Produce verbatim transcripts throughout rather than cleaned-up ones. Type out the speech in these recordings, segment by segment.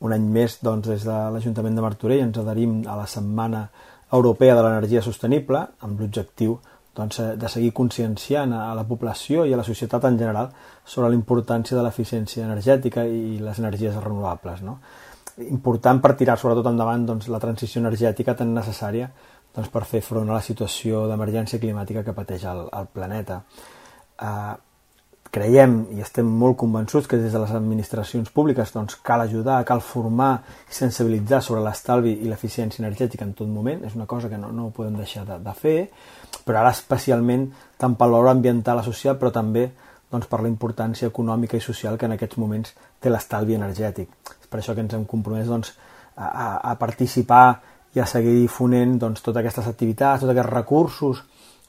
un any més, doncs, des de l'Ajuntament de Martorell ens adherim a la Setmana Europea de l'Energia Sostenible, amb l'objectiu doncs, de seguir conscienciant a la població i a la societat en general sobre la importància de l'eficiència energètica i les energies renovables, no? Important per tirar sobretot endavant doncs, la transició energètica tan necessària doncs, per fer front a la situació d'emergència climàtica que pateix el, el planeta. Eh, creiem i estem molt convençuts que des de les administracions públiques doncs, cal ajudar, cal formar i sensibilitzar sobre l'estalvi i l'eficiència energètica en tot moment. És una cosa que no, no podem deixar de, de fer, però ara especialment tant per l'hora ambiental i social, però també doncs, per la importància econòmica i social que en aquests moments té l'estalvi energètic. És per això que ens hem compromès doncs, a, a, a participar i a seguir difonent doncs, totes aquestes activitats, tots aquests recursos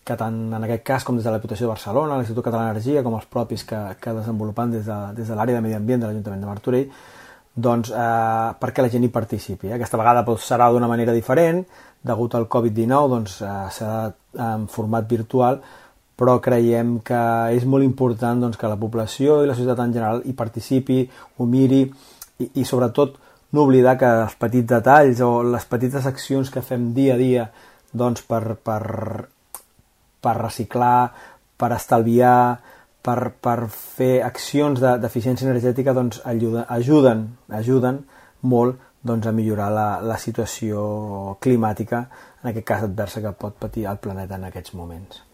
que tant en aquest cas com des de la Diputació de Barcelona, l'Institut Català d'Energia, com els propis que, que desenvolupen des de, des de l'àrea de Medi Ambient de l'Ajuntament de Martorell, doncs, eh, perquè la gent hi participi. Eh? Aquesta vegada doncs, serà d'una manera diferent, degut al covid dinou, doncs, eh, serà en format virtual, però creiem que és molt important doncs, que la població i la societat en general hi participi, ho miri i, i sobretot no oblidar que els petits detalls o les petites accions que fem dia a dia doncs, per, per, per reciclar, per estalviar, per, per fer accions de, d'eficiència energètica doncs, ajuden, ajuden, ajuden molt doncs, a millorar la, la situació climàtica, en aquest cas adversa que pot patir el planeta en aquests moments.